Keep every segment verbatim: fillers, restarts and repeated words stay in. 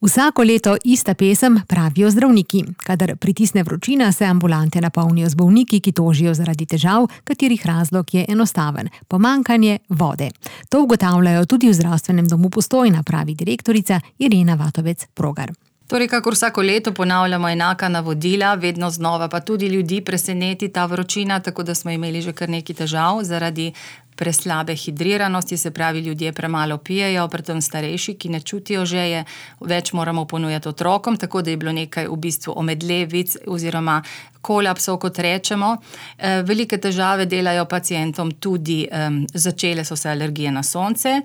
Vsako leto ista pesem, pravijo zdravniki. Kadar pritisne vročina, se ambulante napolnijo z bolniki, ki tožijo zaradi težav, katerih razlog je enostaven – pomanjkanje vode. To ugotavljajo tudi v zdravstvenem domu Postojna, pravi direktorica Irena Vatovec-Progar. Torej, kakor vsako leto ponavljamo enaka navodila, vedno znova pa tudi ljudi preseneti ta vročina, tako da smo imeli že kar nekaj težav zaradi preslabe hidriranosti, se pravi, ljudje premalo pijejo, predvsem starejši, ki ne čutijo žeje, več moramo ponujati otrokom, tako da je bilo nekaj v bistvu omedlevic oziroma kolapsov, kot rečemo. Velike težave delajo pacientom tudi, začele so se alergije na sonce,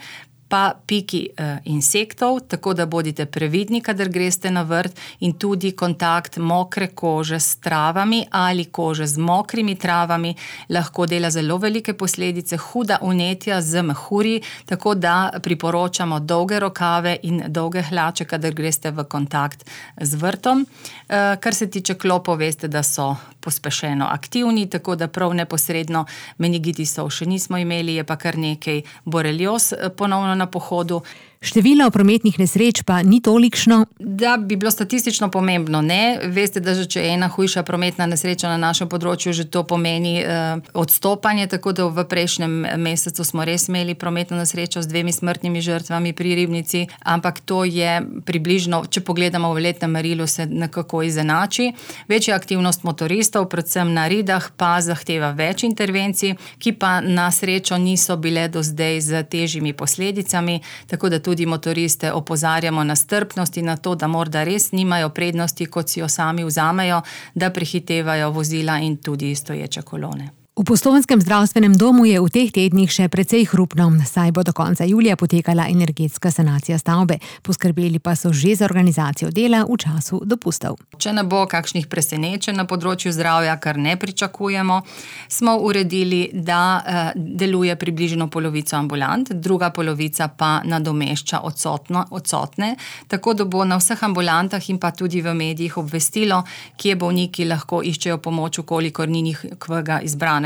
pa piki eh, insektov, tako da bodite previdni, kadar greste na vrt, in tudi kontakt mokre kože s travami ali kože z mokrimi travami lahko dela zelo velike posledice, huda vnetja z mehurji, tako da priporočamo dolge rokave in dolge hlače, kadar greste v kontakt z vrtom. Eh, kar se tiče klopov, veste, da so pospešeno aktivni, tako da prav neposredno meningitisov še nismo imeli, je pa kar nekaj borelioz ponovno na pohodu. Število prometnih nesreč pa ni tolikšno. Da bi bilo statistično pomembno, ne. Veste, da že če je ena hujša prometna nesreča na našem področju, že to pomeni eh, odstopanje, tako da v prejšnjem mesecu smo res imeli prometno nesrečo z dvemi smrtnimi žrtvami pri Ribnici, ampak to je približno, če pogledamo v letnem merilu, se nekako izenači. Večja aktivnost motoristov, predvsem na Ridah, pa zahteva več intervencij, ki pa na srečo niso bile do zdaj z težjimi posledicami, tako da tudi Tudi motoriste opozarjamo na strpnost in na to, da morda res nimajo prednosti, kot si jo sami vzamejo, da prehitevajo vozila in tudi stoječe kolone. V postojnskem zdravstvenem domu je v teh tednih še precej hrupno, saj bo do konca julija potekala energetska sanacija stavbe. Poskrbeli pa so že za organizacijo dela v času dopustov. Če ne bo kakšnih presenečenj na področju zdravja, kar ne pričakujemo, smo uredili, da eh, deluje približno polovico ambulant, druga polovica pa nadomešča odsotno, odsotne, tako da bo na vseh ambulantah in pa tudi v medijih obvestilo, kje bolniki lahko iščejo pomoč, kolikor ni njihovega izbranega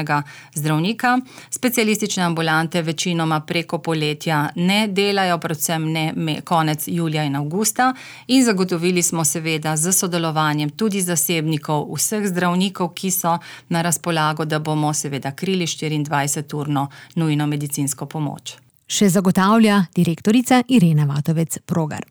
zdravnika. Specialistične ambulante večinoma preko poletja ne delajo, predvsem ne me, konec julija in avgusta, in zagotovili smo seveda z sodelovanjem tudi zasebnikov, vseh zdravnikov, ki so na razpolago, da bomo seveda krili štiriindvajseturno nujno medicinsko pomoč. Še zagotavlja direktorica Irena Vatovec-Progar.